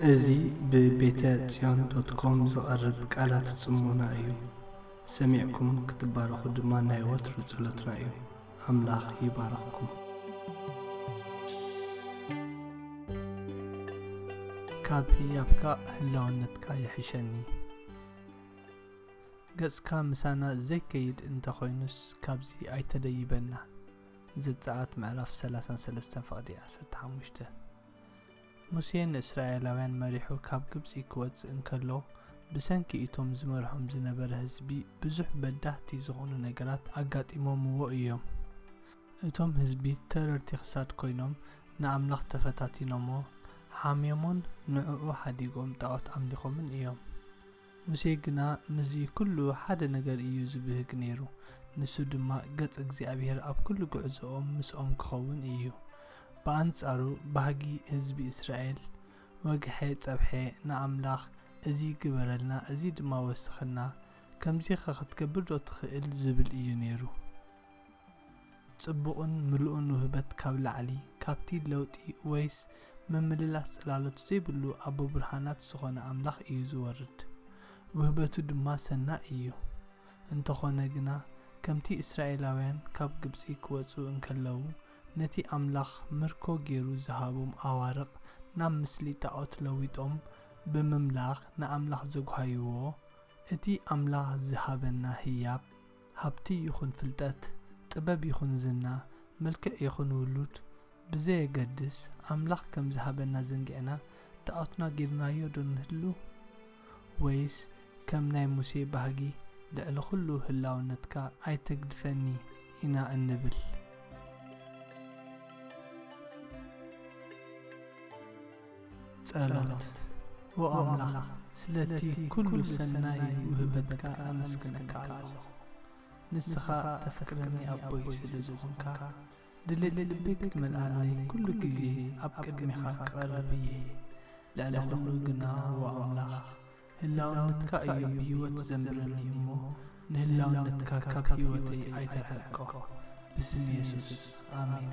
እዚ ብቤተ ጽዮን ዶት ኮም ዝቐርብ ቃላት ጽሞና እዩ። ሰሚዕኩም ክትባረኹ ድማ ናይ ወትሩ ጸሎትና እዩ። ኣምላኽ ይባርኽኩም። ካብ ህያብካ ህላውነትካ ይሕሸኒ። ገጽካ ምሳና ዘይከይድ እንተኾይኑስ ካብዚ ኣይተደይበና። ዘጸኣት ምዕራፍ ሰላሳን ሰለስተን ፍቕዲ ዓሰርተ ሓሙሽተ። ሙሴ ንእስራኤላውያን መሪሑ ካብ ግብጺ ክወጽእ እንከሎ፣ ብሰንኪ እቶም ዝመርሖም ዝነበረ ህዝቢ ብዙሕ በዳህቲ ዝኾኑ ነገራት ኣጋጢሞምዎ እዮም። እቶም ህዝቢ ተረርቲ ክሳድ ኮይኖም ንኣምላኽ ተፈታቲኖሞ፣ ሓምዮሞን ንዕኡ ሓዲጎም ጣዖት ኣምሊኾምን እዮም። ሙሴ ግና ምስዚ ኩሉ ሓደ ነገር እዩ ዝብህግ ነይሩ፣ ንሱ ድማ ገጽ እግዚኣብሔር ኣብ ኩሉ ጉዕዞኦም ምስኦም ክኸውን እዩ። ብኣንጻሩ ባህጊ ህዝቢ እስራኤል፣ ወግሐ ጸብሐ ንኣምላኽ፣ እዚ ግበረልና፣ እዚ ድማ ወስኸና፣ ከምዚኸ ክትገብር ዶ ትኽእል ዝብል እዩ ነይሩ። ጽቡቕን ምሉእን ውህበት ካብ ላዕሊ፣ ካብቲ ለውጢ ወይስ ምምልላስ ጽላሎት ዘይብሉ ኣቦ ብርሃናት ዝኾነ ኣምላኽ እዩ ዝወርድ። ውህበቱ ድማ ሰናይ እዩ። እንተኾነ ግና፣ ከምቲ እስራኤላውያን ካብ ግብጺ ክወጹ እንከለዉ፣ ነቲ ኣምላኽ ምርኮ ገይሩ ዝሃቦም ኣዋርቕ ናብ ምስሊ ጣዖት ለዊጦም ብምምላኽ ንኣምላኽ ዘጉሃይዎ፣ እቲ ኣምላኽ ዝሃበና ህያብ፣ ሃብቲ ይኹን ፍልጠት፣ ጥበብ ይኹን ዝና፣ መልክዕ ይኹን ውሉድ፣ ብዘየገድስ ኣምላኽ ከም ዝሃበና ዘንጊዕና ጣዖትና ጌርናዮ ዶ ንህሉ? ወይስ ከም ናይ ሙሴ ባህጊ ልዕሊ ኩሉ ህላውነትካ ኣይተግድፈኒ ኢና እንብል? ጸሎት። ኦ ኣምላኽ፣ ስለቲ ኩሉ ሰናይ ውህበትካ ኣመስግነካ ኣለኹ። ንስኻ ተፍቅረኒ ኣቦይ ስለ ዝኾንካ፣ ድሌት ልበይ ክትመልኣለይ ኩሉ ግዜ ኣብ ቅድሜኻ ክቐርብ እየ። ልዕሊ ኩሉ ግና ኦ ኣምላኽ፣ ህላውነትካ እዩ ብህይወት ዘንብረኒ እሞ፣ ንህላውነትካ ካብ ህይወተይ ኣይተርሕቆ። ብስም የሱስ፣ ኣሜን።